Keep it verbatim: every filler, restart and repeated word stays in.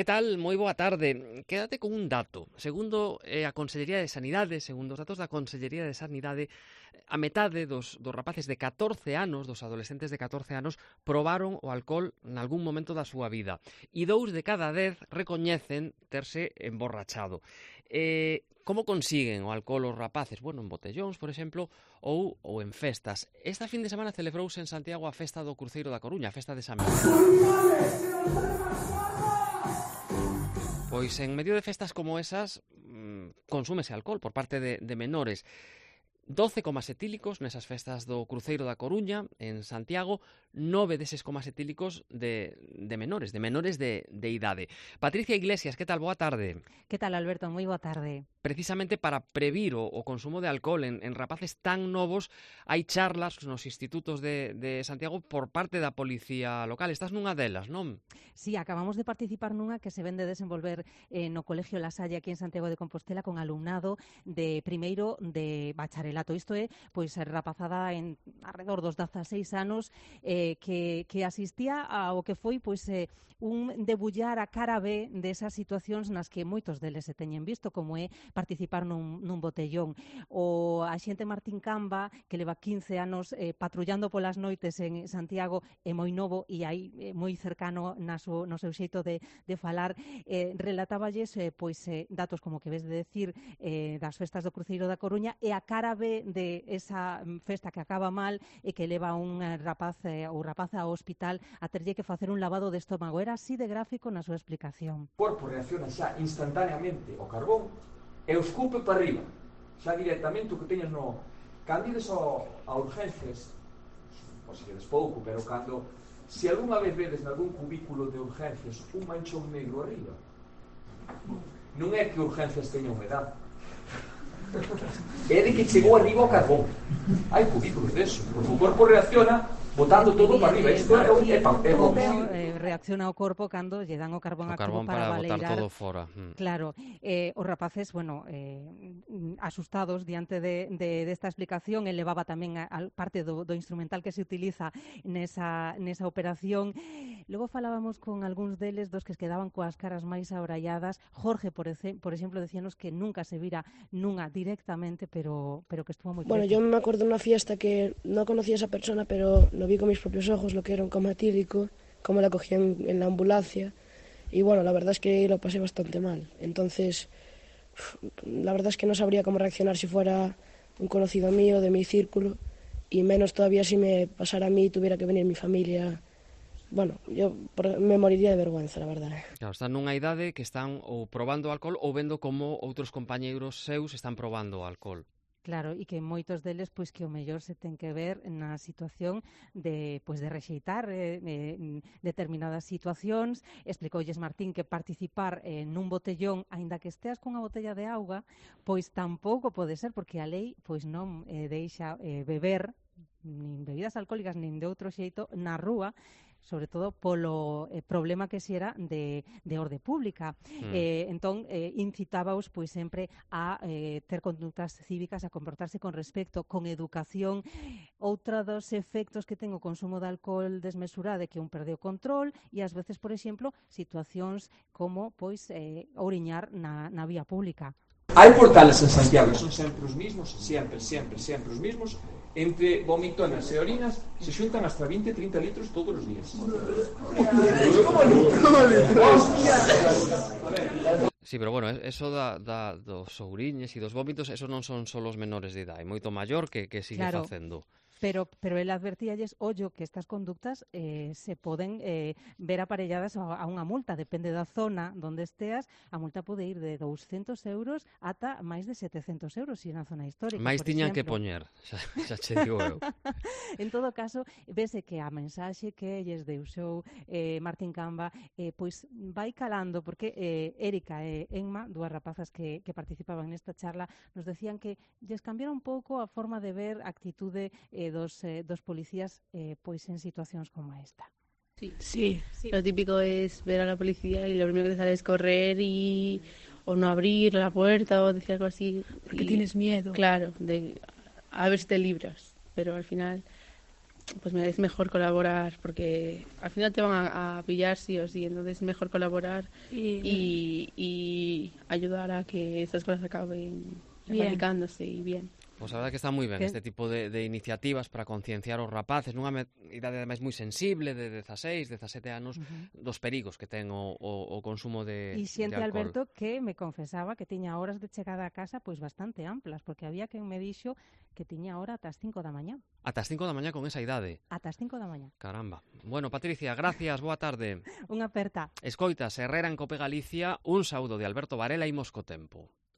Que tal? Moi boa tarde. Quédate con un dato. Segundo eh, a Consellería de Sanidade, segundo os datos da Consellería de Sanidade, a metade dos, dos rapaces de catorce anos, dos adolescentes de catorce anos, probaron o alcohol nalgún momento da súa vida. E dous de cada dez recoñecen terse emborrachado. Eh, como consiguen o alcohol os rapaces? Bueno, en botellóns, por exemplo, ou, ou en festas. Esta fin de semana celebrouse en Santiago a festa do Cruceiro da Coruña, a festa de San Miguel. Pois en medio de festas como esas mmm, consúmese alcohol por parte de, de menores. doce comas etílicos nesas festas do Cruceiro da Coruña, en Santiago, nove deses comas etílicos de, de menores, de menores de, de idade. Patricia Iglesias, que tal? Boa tarde. Que tal, Alberto? Moi boa tarde. Precisamente para previr o, o consumo de alcohol en, en rapaces tan novos, hai charlas nos institutos de, de Santiago por parte da policía local. Estás nunha delas, non? Sí, acabamos de participar nunha que se ven de desenvolver eh, no Colegio La Salle aquí en Santiago de Compostela con alumnado de primeiro de bacharelato. Isto é, pois, rapazada en alrededor dos dezaseis anos eh, que, que asistía ao que foi, pois, eh, un debullar a cara B desas situacións nas que moitos deles se teñen visto, como é participar nun, nun botellón. O axente Martín Camba, que leva quince anos eh, patrullando polas noites en Santiago, é moi novo e aí eh, moi cercano na so, no seu xeito de, de falar, eh, relatáballes eh, pois, eh, datos como que ves de decir eh, das festas do Cruceiro da Coruña e a cara B de esa festa que acaba mal e que leva un rapaz eh, ou rapaza ao hospital a terlle que facer un lavado de estómago. Era así de gráfico na súa explicación. O corpo reacciona xa instantaneamente ao carbón e o escupe para arriba, xa directamente o que teñas no... Cando ides a urgencias, pois se quedes pouco, pero cando... Se algunha vez vedes nalgún cubículo de urgencias un manchón negro arriba, non é que urgencias teña humedade, é de que chegou arriba o carbón. Hai cubículos deso, porque o corpo reacciona botando todo para arriba. Isto é, é, é, é reacciona o corpo cando lle dan o carbón o activo carbón para, para botar baleirar todo fora. Mm. Claro, eh, os rapaces, bueno, eh, asustados diante de, de desta explicación, ele levaba tamén a, a parte do, do instrumental que se utiliza nesa, nesa operación. Logo falábamos con algúns deles dos que quedaban coas caras máis abralladas. Jorge, por, ece, por exemplo, decíanos que nunca se vira nunha directamente, pero, pero que estuvo moi Bueno, preso. yo me acuerdo de una fiesta que no conocía a esa persona, pero lo vi con mis propios ojos, lo que era un coma etílico, cómo la cogían en la ambulancia, y bueno, la verdad es que lo pasé bastante mal. Entonces, la verdad es que no sabría cómo reaccionar si fuera un conocido mío, de mi círculo, y menos todavía si me pasara a mí y tuviera que venir mi familia. Bueno, yo me moriría de vergüenza, la verdad. Claro, están nunha idade que están ou probando alcohol ou vendo como outros compañeiros seus están probando alcohol. Claro, e que moitos deles pois que o mellor se ten que ver na situación de pois de rexeitar eh, eh, determinadas situacións. Explicoulles Martín que participar eh, nun botellón, aínda que esteas cunha botella de auga, pois tampouco pode ser, porque a lei pois non eh, deixa eh, beber nin bebidas alcohólicas nin de outro xeito na rúa, sobre todo polo eh, problema que si era de, de orde pública. Mm. Eh, entón, eh, incitábaos pois sempre a eh, ter conductas cívicas, a comportarse con respecto, con educación. Outra dos efectos que ten o consumo de alcohol desmesurado é que un perde o control e ás veces, por exemplo, situacións como pois eh, ouriñar na, na vía pública. Hai portales en Santiago, son sempre os mismos, sempre, sempre, sempre os mismos. Entre vomitonas e orinas se xuntan hasta veinte a trinta litros todos os días. Sí, pero bueno, eso da, da dos ouriñes e dos vómitos, eso non son só os menores de idade, moito maior que, que sigue claro. facendo. Pero, pero el advertíalles, ollo, que estas conductas eh, se poden eh, ver aparelladas a, a unha multa. Depende da zona donde esteas, a multa pode ir de douscentos euros ata máis de setecentos euros, se na zona histórica. Mais tiñan que poñer, xa, xa che digo eu. En todo caso, vese que a mensaxe que lles deixou eh, Martín Camba eh, pois vai calando, porque eh, Érica e Enma, dúas rapazas que, que participaban nesta charla, nos decían que lles cambiara un pouco a forma de ver a actitude eh, Dos, eh, dos policías eh, pois en situacións como esta. Sí. Sí. sí, lo típico es ver a la policía y lo primero que te sale es correr y o no abrir la puerta o decir algo así. Porque y, tienes miedo. Claro, de a ver si te libras, pero al final pues me es mejor colaborar porque al final te van a, a pillar sí o sí, entonces es mejor colaborar y, y, y ayudar a que estas cosas acaben erradicándose y bien. Pois a verdade que está moi ben que... este tipo de, de iniciativas para concienciar os rapaces nunha idade ademais moi sensible de dezaseis, dezasete anos, uh-huh. dos perigos que ten o, o, o consumo de, e xente de alcohol. Alberto que me confesaba que tiña horas de chegada a casa pois bastante amplas, porque había quen me dixo que tiña hora ata as cinco da mañá. Ata as cinco da mañá con esa idade? Ata as cinco da mañá. Caramba. Bueno, Patricia, gracias, boa tarde. Unha aperta. Escoitas, Herrera en Cope Galicia, un saúdo de Alberto Varela, imos co tempo.